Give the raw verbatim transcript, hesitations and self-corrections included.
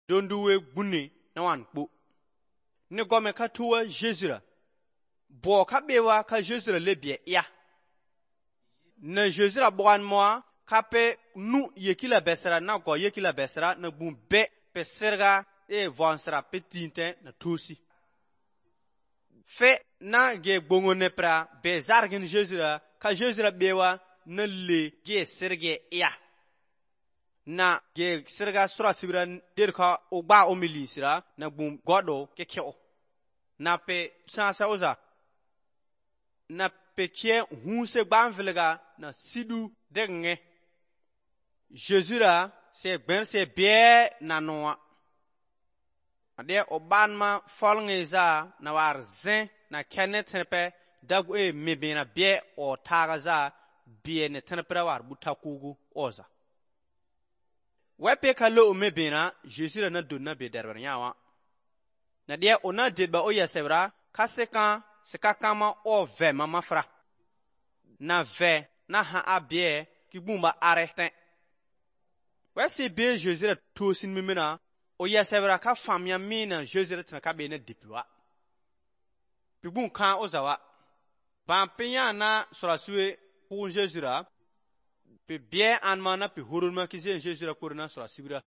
donduwe bunni na wan kpo. Ne gome ka tuwa Jésus bo ka bewa ka Jésus lebie ya. Na Jésus la boan moi ka pe nu yekila besera na go yekila besera na bumbe pe serga e vonsera petinte na tusi. Fe na ge bongo nepra be zargin Jésus ka Jésus la bewa na le ge serge ya. Na ge serga sura sibira derka ogba omilisira na bum godo ke kyo. Na pe sansa oza. Na pe kie hunse gbanviliga na sidu denge. Jésus la se ben se bie na noa. Ade obanma folngeza na war zen na kenne tenepe dagu e mebena bie o tagaza bie ne tenepra war butakugu oza. Wepe kalo mebena Jésus la na donna be derber nyawa. Na de ona dedba o yesebra kaseka seka kama o ve mama fra. Na ve na ha abie ki bumba arete. Wesi be Jésus la tosin mimena o yesebra ka famya mina Jésus la tna ka be na diploa. Pibun kan ozawa. Ban pinya na sorasue pour Jésus la. Pe bien anmana pe huruma ki Jésus la korona sorasibra.